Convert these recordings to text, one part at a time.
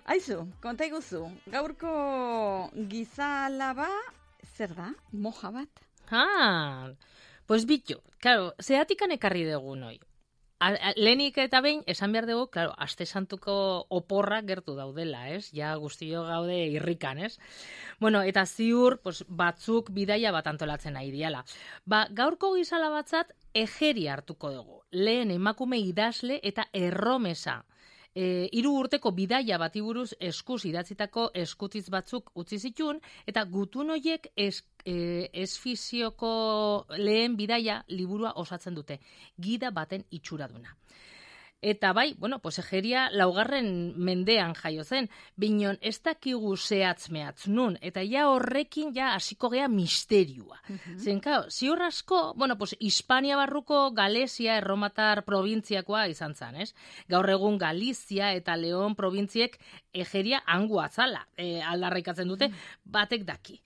Aizu, konta iguzu, gaurko gizalaba, zer da, moja bat? Pues bitu, claro, zehatikan ekarri dugu noi. Lehenik eta behin, esan behar dugu, claro, aste santuko oporra gertu daudela, ez? Ja guztio gaude irrikan, ez? Bueno, eta ziur, pues, batzuk bidaia bat antolatzen nahi diala. Gaurko gizala batzat, ejeri hartuko dugu. Lehen emakume idazle eta erromesa. 3 urteko bidaia bati buruz eskuz idatzitako eskutitz batzuk utzi zituen, eta gutun horiek esfizioko lehen bidaia liburua osatzen dute. Gida baten itxuraduna. Eta bai, bueno, pues egeria 4. mendean jaio zen, binon ez dakigu zehatz mehatz nun, eta ja horrekin ja hasiko gea misterioa. Zen, claro, ziur asko, bueno, pues Hispania barruko Galesia erromatar probintziakoa izan zen, ez? Gaur egun Galizia eta Leon probintziek egeria hangu atzala aldarrikatzen dute, batek daki.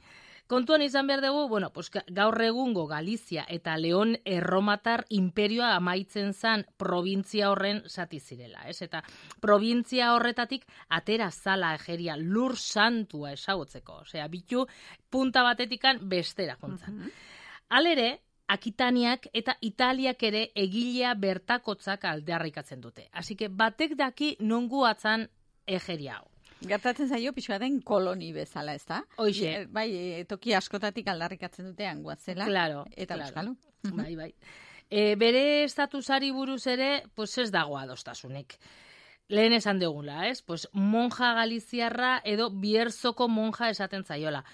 Kontuan izan behar dugu, bueno, pues gaur egungo Galizia eta Leon erromatar imperioa amaitzen zen probintzia horren zati zirela, ez? Eta probintzia horretatik atera zala egeria lur santua esagotzeko, osea, bitu punta batetikan bestera jontzan. Halere, Akitaniak eta Italiak ere egilea bertakotzak aldarrikatzen dute. Así que batek daki nongu atzan egeria hau. Gertatzen zaio pixua den koloni bezala, ez da? Hoixe. Bai, toki askotatik aldarrikatzen dute hanguatzela. Claro, eta euskalu. Bai. Bere estatusari buruz ere, pues ez dago adostasunik. Lehen esan degula, ez? Pues monja galiziarra edo Bierzoko monja esaten zaiola.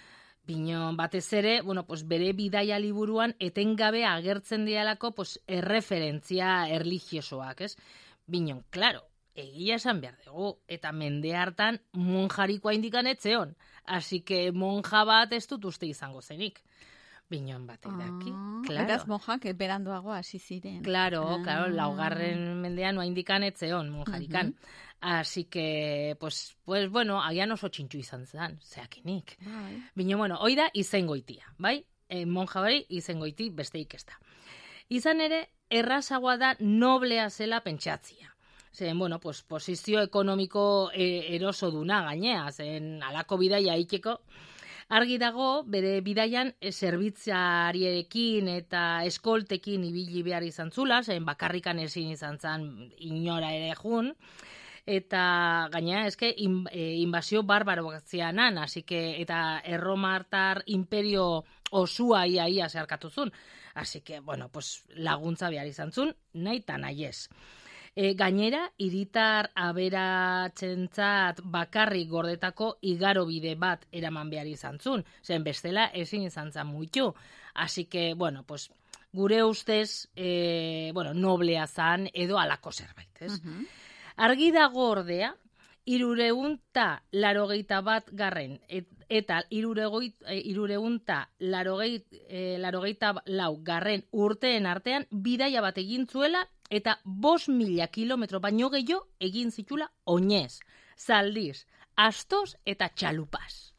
Binon batez ere, bueno, pues bere bidaia liburuan etengabe agertzen dialako pues erreferentzia erlijiosoak, ez? Binon, claro, egia esan behar dugu, eta mende hartan monjarikoa indikan etzeon. Así que monja bat ez dut uste izango zenik. Binon batek daki, claro. Beraz monjak beranduago hasi ziren. Claro, 4. mendean noa indikan etzeon monjarikan. Así que, pues bueno, agian oso txintxu izan zen, zeakinik. Binon, bueno, hoi da izengoitia, bai? Monja hori izengoiti besteik ez da. Izan ere, errazagoa da noblea zela pentsatzia. Zen, bueno, pues, posizio ekonomiko eroso duna gainea, zen alako bidaia itxeko. Argi dago, bere bidaian zerbitzariekin eta eskoltekin ibili behar izan zula, zen bakarrikan ezin izan zen inora ere jun, eta gainea, eske, inbazio barbaro zianan, así que, eta erromartar imperio osua ia zeharkatu zun. Así que, bueno, pues, laguntza behar izan zun, nahi eta nahi ez. Gainera, hiritar aberatzentzat bakarrik gordetako igarobide bat eraman behar izan zun. Zen bestela ezin izan zan muitu. Así que, bueno, pues, gure ustez, noblea zan edo alako zerbait, ez? Argi dago ordea, 381 eta 384 urteen artean bidaia bat egin zuela eta 5.000 kilometro baino gehiago egin zitula oinez, zaldiz, astoz eta txalupaz.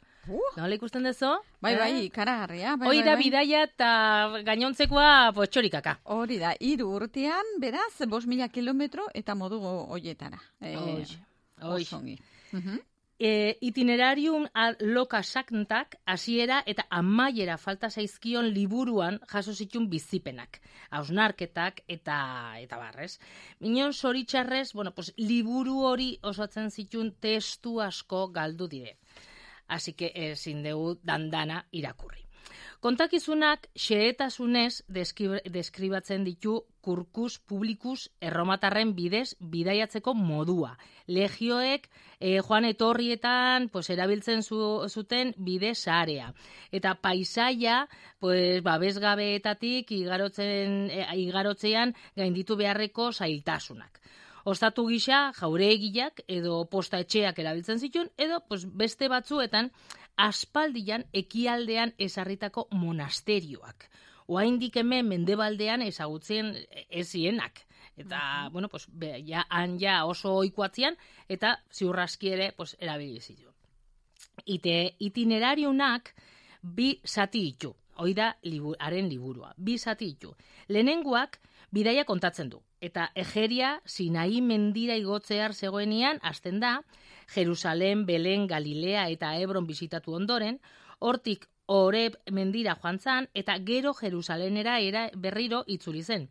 Nola ikusten dezo? Bai, karagarria. Hoi da bidaia eta gainontzekoa txorikaka. Hori da, 3 urtean, beraz, 5.000 kilometro eta modu hoietara. Osongi. Itinerarium loka sakntak hasiera eta amaiera falta zaizkion liburuan jaso zituen bizipenak, hausnarketak eta barrez. Minon zoritxarrez, bueno, pues, liburu hori osatzen zituen testu asko galdu dire. Así que ezin dugu dandana irakurri. Kontakizunak xehetasunez deskribatzen ditu kurkus publikus erromatarren bidez bidaiatzeko modua. Legioek joan etorrietan pues, erabiltzen zuten bide sarea. Eta paisaia pues, babesgabeetatik igarotzean gainditu beharreko zailtasunak. Ostatu gisa jauregiak edo posta etxeak erabiltzen zituen, edo pues, beste batzuetan aspaldian ekialdean ezarritako monasterioak. Oraindik hemen mendebaldean ezagutzen ezienak. Eta, bueno, pues, han oso ohikoatzian, eta ziurraski ere pues, erabili zituen. Itinerariunak 2 zati ditu. Hoi da haren liburua. 2 zati ditu. Lehenengoak bidaia kontatzen du. Eta egeria Sinai mendira igotzear zegoenian hasten da, Jerusalem, Belen, Galilea eta Hebron bisitatu ondoren, hortik Oreb mendira joan zan, eta gero Jerusalenera berriro itzuli zen.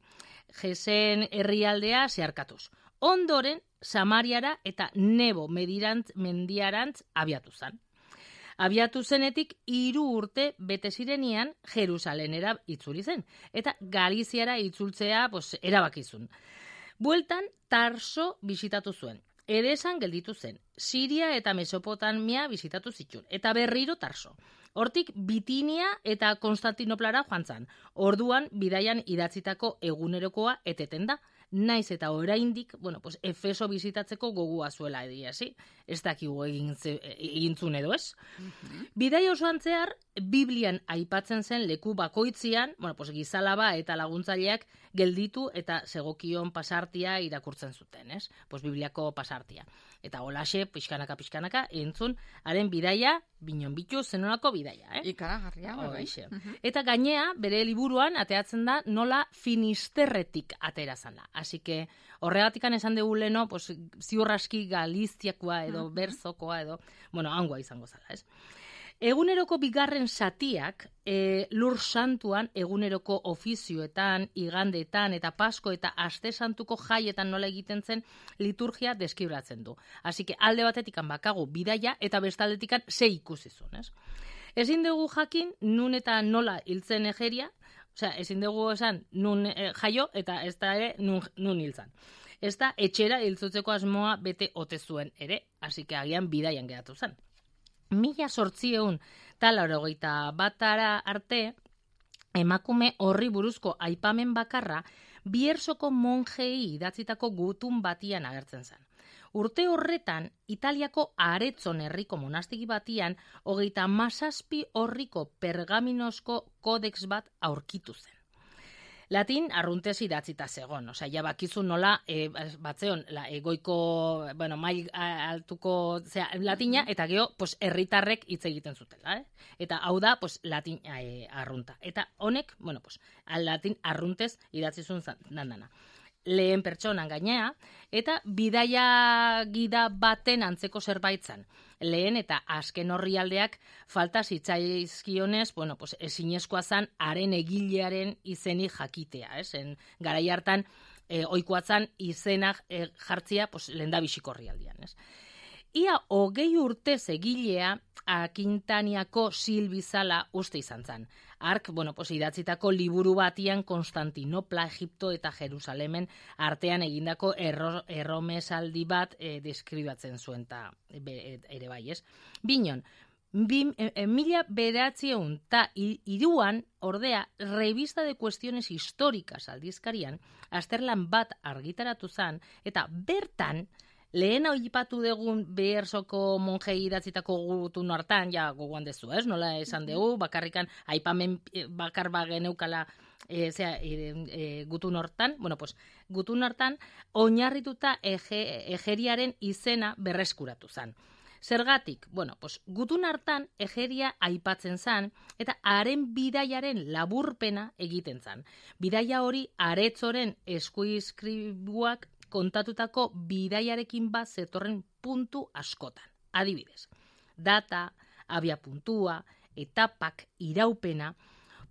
Jesen herrialdea zeharkatuz. Ondoren, Samariara eta Nebo mendiarantz abiatu zen. Abiatu zenetik 3 urte bete zirenian Jerusalenera itzuli zen, eta Galiziara itzultzea erabakizun. Bueltan Tarso bisitatu zuen. Edesan gelditu zen. Siria eta Mesopotamia bisitatu zituen, eta berriro Tarso. Hortik Bitinia eta Konstantinoplara joan zan. Orduan bidaian idatzitako egunerokoa eteten da. Naiz eta oraindik, Efeso bisitatzeko gogua zuela ediasi. Ez dakigu egintzun edo ez. Bidai osoan zehar, Biblian aipatzen zen leku bakoitzian, gizalaba eta laguntzaileak gelditu eta segokion pasartia irakurtzen zuten, ez? Bibliako pasartia. Eta holaxe, pixkanaka, entzun, haren bidaia, binon bitu, zenolako bidaia, Ikaragarria, bai. Eta gainea, bere liburuan, ateatzen da, nola Finisterretik atera zana. Así que, horregatikan esan dugu leno, ziurraski Galiziakoa edo Berzokoa edo, hangoa izango zala, ez? Eguneroko bigarren zatiak, Lur Santuan, eguneroko ofizioetan, igandeetan eta Pasko eta Aste Santuko jaietan nola egiten zen liturgia deskibratzen du. Así que alde batetikan bakagu bidaia eta bestaldetikan ze ikusizun, ez? Ezin dugu jakin nun eta nola hiltzen Egeria, ezin dugu esan nun jaio eta ez da ere nun hiltzan. Ez da etxera hiltzutzeko asmoa bete ote zuen ere, así que agian bidaian geratu zen. 1881 arte, emakume horri buruzko aipamen bakarra Biersoko monjei idatzitako gutun batian agertzen zen. Urte horretan, Italiako Aretzon herriko monastiki batian 37 orriko pergaminosko kodex bat aurkitu zen. Latin arruntez idatzita zegon, ja bakizu nola batzeon goiko, mail altuko latina, eta geho, herritarrek hitz egiten zutela, Eta hau da, latin arrunta. Eta honek, latin arruntez idatzizun dandana. Lehen pertsonan gainea, eta bidaia gida baten antzeko zerbait zan. Lehen eta azken orrialdeak falta zitzaizkionez, ezinezkoa zan haren egilearen izenik jakitea, garai hartan ohikoa zan izenak jartzia lehendabiziko orrialdean, Ia 20 urtez egilea Akintaniako Silbizala uste izan zan. Ark, idatzitako liburu batian Konstantinopla, Egipto eta Jerusalemen artean egindako erromesaldi bat deskribatzen zuen eta ere bai, ez? Binon, 1903 ordea, Revista de Cuestiones Históricas aldizkarian, azterlan bat argitaratu zan, eta bertan, lehen oipatu dugun Behersoko monjei idatzitako gutun hartan, ja gogoan dezu, nola esan dugu, bakarrikan aipamen bakar bageneukala gutun hortan, gutun hartan oinarrituta Egeriaren izena berreskuratu zan. Zergatik, gutun hartan Egeria aipatzen zan, eta haren bidaiaren laburpena egiten zan. Bidaia hori Aretzoren eskuizkribuak kontatutako bidaiarekin bat zetorren puntu askotan. Adibidez, data, abia puntua, etapak, iraupena,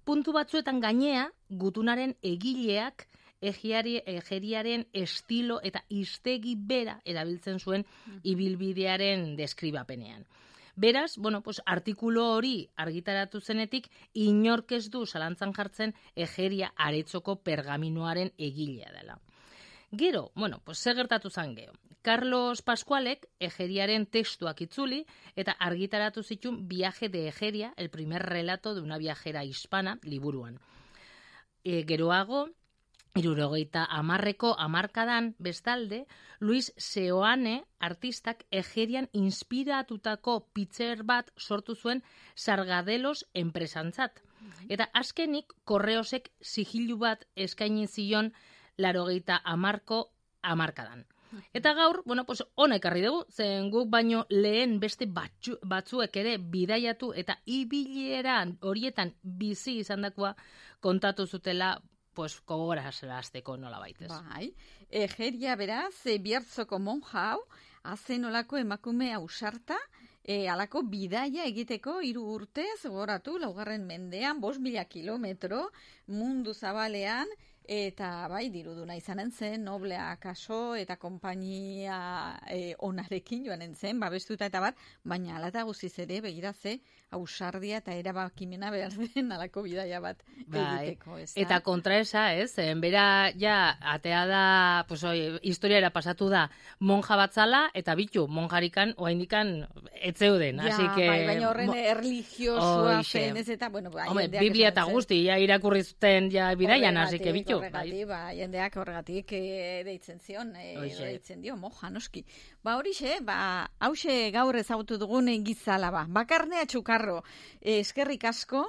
puntu batzuetan gainea gutunaren egileak Egeriaren estilo eta hiztegi bera erabiltzen zuen ibilbidearen deskribapenean. Beraz, artikulu hori argitaratu zenetik inork ez du zalantzan jartzen Egeria Aretzoko pergaminoaren egilea dela. Gero, zer gertatu zan geho. Carlos Pascualek Egeriaren testuak itzuli eta argitaratu zituen Viaje de Egeria, el primer relato de una viajera hispana, liburuan. Geroago, 70ko hamarkadan bestalde, Luis Seoane artistak Egerian inspiratutako pitzer bat sortu zuen Sargadelos enpresantzat. Eta azkenik, Korreosek sigilu bat eskaini zion 80ko hamarkadan. Eta gaur, ona ekarri dugu, zen guk baino lehen beste batzuek ere bidaiatu eta ibilieran horietan bizi izandakoa kontatu zutela, gogora azteko nola baitez. Bai, Egeria beraz, Bierzoko monja hau, azen olako emakume ausarta, alako bidaia egiteko 3 urtez, goratu, 4. mendean, 5.000 kilometro, mundu zabalean, eta bai, diruduna izanen zen, noblea kaso, eta konpainia onarekin joanen zen, babestuta eta bat, baina ala eta guziz ere, begiratze, ausardia eta erabakimena behar den alako bidaia bat egiteko. Eta kontraesa, ez? Bera, ja, atea da, pues, historiara pasatu da, monja batzala, eta bitu, monjarikan, oaindikan, etzeuden. Ja, así que, baina horren erligiosua zen, ez eta, bueno, hombre, Biblia eta guzti, ja, irakurri zuten, ja, bidaian, así que bitu. Jendeak horregatik deitzen zion, deitzen dio, moja, noski. Horixe, hause gaur ezagutu dugun gizala, bakarnea txukarro, eskerrik asko,